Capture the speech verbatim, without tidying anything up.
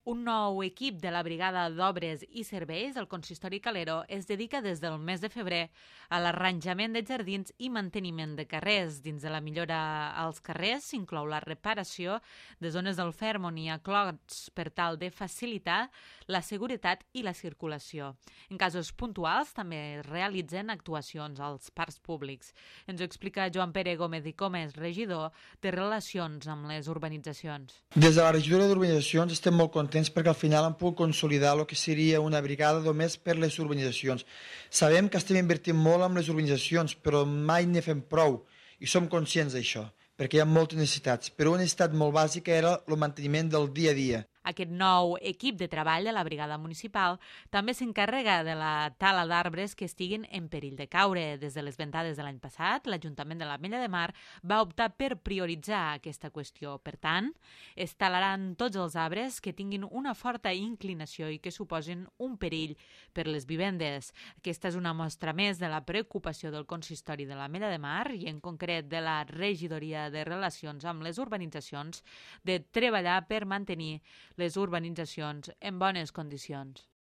Un nou equip de la Brigada d'Obres i Serveis, el Consistori Calero, es dedica des del mes de febrer a l'arranjament de jardins i manteniment de carrers. Dins de la millora als carrers s'inclou la reparació de zones del ferm on hi ha clots per tal de facilitar la seguretat i la circulació. En casos puntuals també es realitzen actuacions als parcs públics. Ens ho explica Joan Pere Gómez i Comes, regidor de Relacions amb les Urbanitzacions. Des de la regidoria d'Urbanitzacions estem molt contents perquè al final hem pogut consolidar el que seria una brigada només per les urbanitzacions. Sabem que estem invertint molt en les urbanitzacions, però mai ne fem prou i som conscients d'això, perquè hi ha moltes necessitats. Però una necessitat molt bàsica era el manteniment del dia a dia. Aquest nou equip de treball de la brigada municipal també s'encarrega de la tala d'arbres que estiguin en perill de caure. Des de les ventades de l'any passat, l'Ajuntament de l'Ametlla de Mar va optar per prioritzar aquesta qüestió. Per tant, es talaran tots els arbres que tinguin una forta inclinació i que suposin un perill per les vivendes. Aquesta és una mostra més de la preocupació del Consistori de l'Ametlla de Mar i en concret de la Regidoria de Relacions amb les Urbanitzacions de treballar per mantenir les urbanitzacions en bones condicions.